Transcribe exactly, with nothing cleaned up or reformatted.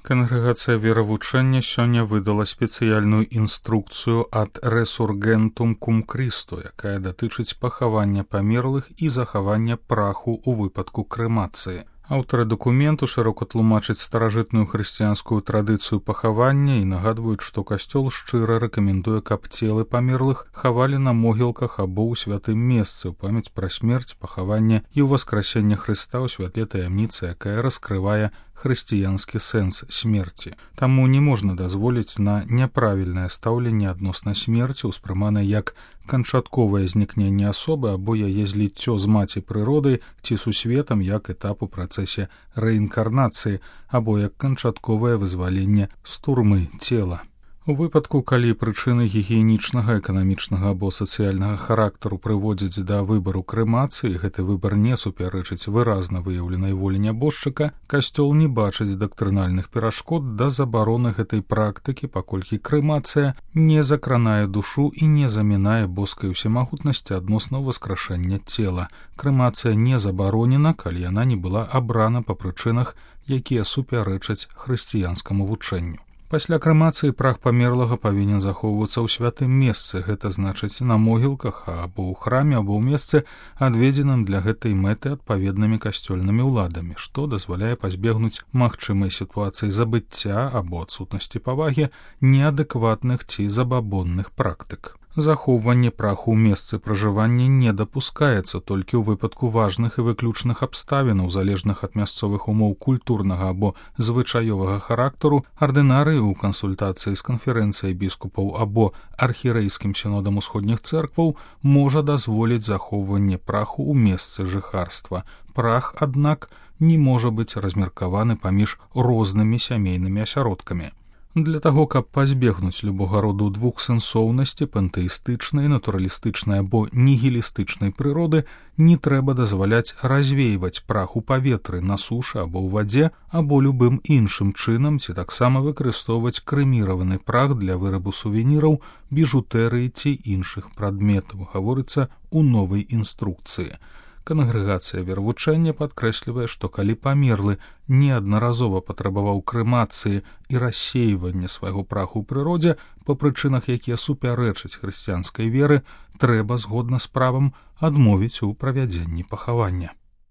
Кангрэгацыя веравучэння сёння выдала спецыяльную інструкцыю ад Resurgentum cum Christo, якая датычыць пахавання памерлых і захавання праху ў выпадку крэмацыі. Аўтары дакументу шырока тлумачаць старажытную хрысціянскую традыцыю пахавання і нагадваюць, што касцёл шчыра рэкамендуе, каб целы памерлых хавалі на могілках або ў святым месцы ў памяць пра смерць, пахаванне і ўваскрасенне Хрыста ў святле таямніцы, якая раскрывае хрысціянскі сэнс смерці. Таму не можна дазволіць на няправільнае стаўленне адносна смерці, успрыманае як канчатковае знікненне асобы або яе зліццё з маці прыроды ці сусветам як этап у працэсе рэінкарнацыі або як канчатковае вызваленне з турмы цела. У выпадку, калі прычыны гігіенічнага, эканамічнага або сацыяльнага характару прыводзяць да выбару крэмацыі, гэты выбар не супярэчыць выразна выяўленай волі нябожчыка, касцёл не бачыць дактрынальных перашкод да забароны гэтай практыкі, паколькі крэмацыя не закранае душу і не замінае боскай усемагутнасці адносна ўваскрашэння цела. Крэмацыя не забаронена, калі яна не была абрана па прычынах, якія супярэчаць хрысціянскаму вучэнню. Пасля крэмацыі прах памерлага павінен захоўвацца ў святым месцы, гэта значыць на могілках або ў храме, або ў месцы, адведзеным для гэтай мэты адпаведнымі касцёльнымі ўладамі, што дазваляе пазбегнуць магчымай сітуацыі забыцця або адсутнасці павагі неадэкватных ці забабонных практык. Захоўванне праху ў месцы пражывання не дапускаецца толькі ў выпадку важных і выключных абставінаў, залежных ад мясцовых умоў культурнага або звычаёвага характару. Ардынарый у кансультацыі з канферэнцыяй біскупаў або архірэйскім сінодам усходніх цэркваў можа дазволіць захоўванне праху ў месцы жыхарства. Прах, аднак, не можа быць размеркаваны паміж рознымі сямейнымі асяродкамі. Для таго, каб пазбегнуць любога роду двухсэнсоўнасці, пантэістычнай, натуралістычнай або нігілістычнай прыроды, не трэба дазваляць развейваць прах у паветры, на сушы або ў вадзе, або любым іншым чынам, ці таксама выкарыстоўваць крэміраваны прах для вырабу сувеніраў, біжутэрыі ці іншых прадметаў, гаворыцца ў новай інструкцыі. Кангрэгацыя веравучэння падкрэслівае, што калі памерлы неаднаразова патрабаваў крэмацыі і рассейвання свайго праху ў прыродзе па прычынах, якія супярэчаць хрысціянскай веры, трэба згодна з правам адмовіць у правядзенні пахавання.